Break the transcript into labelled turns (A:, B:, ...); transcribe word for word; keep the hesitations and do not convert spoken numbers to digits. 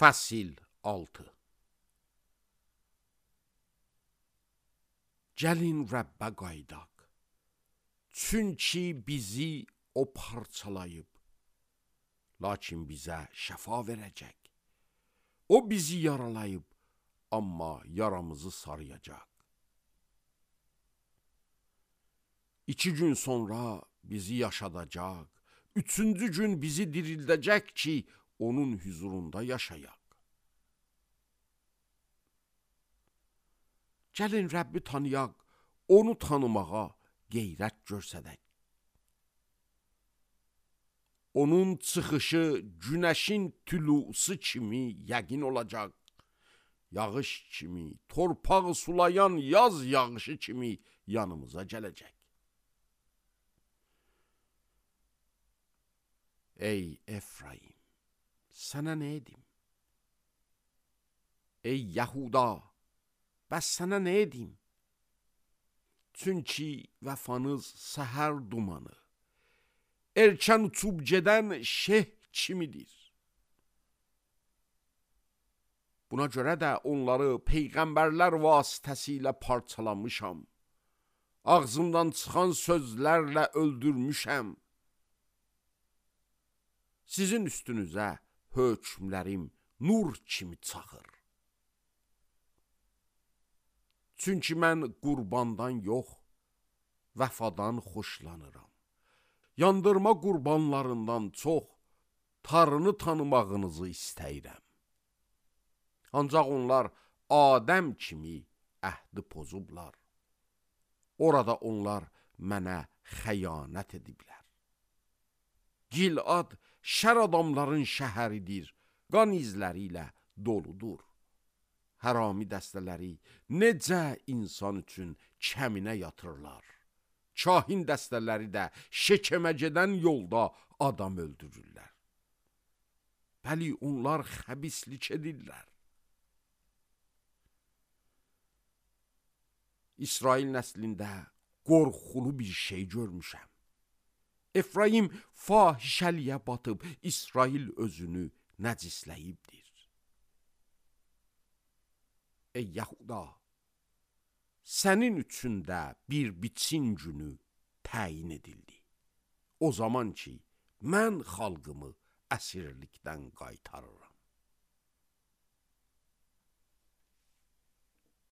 A: Fəsil altı. Gəlin Rəbbə qaydaq, çünki bizi o parçalayıb, lakin bizə şəfa verəcək. O bizi yaralayıb, amma yaramızı sarıyacaq. İki gün sonra bizi yaşadacaq, üçüncü gün bizi dirildəcək ki, onun huzurunda yaşayaq. Gəlin Rəbbi tanıyaq, onu tanımağa qeyrət görsədək. Onun çıxışı günəşin tülusu kimi yəqin olacaq. Yağış kimi, torpağı sulayan yaz yağışı kimi yanımıza gələcək. Ey Efraim, sənə nə edim? Ey Yahuda, bəs sənə nə edim? Çünki vəfanız səhər dumanı, erkən uçub gedən şeh kimidir. Buna görə də onları peyğəmbərlər vasitəsilə parçalamışam. Ağzımdan çıxan sözlərlə öldürmüşəm. Sizin üstünüzə hökmlərim nur kimi çaxır. Çünki mən qurbandan yox, vəfadan xoşlanıram. Yandırma qurbanlarından çox Tanrını tanımağınızı istəyirəm. Ancaq onlar Adəm kimi əhdi pozublar. Orada onlar mənə xəyanət ediblər. Gilad şər adamların şəhəridir, qan izləri ilə doludur. Hərami dəstələri necə insan üçün kəminə yatırlar. Kahin dəstələri də şekemə gedən yolda adam öldürürlər. Bəli, onlar xəbislik edirlər. İsrail nəslində qorxulu bir şey görmüşəm. Efraim fahişəliyə batıb, İsrail özünü nəcisləyibdir. Ey Yahuda, sənin üçün də bir biçin günü təyin edildi. O zaman ki, mən xalqımı əsirlikdən qaytarıram.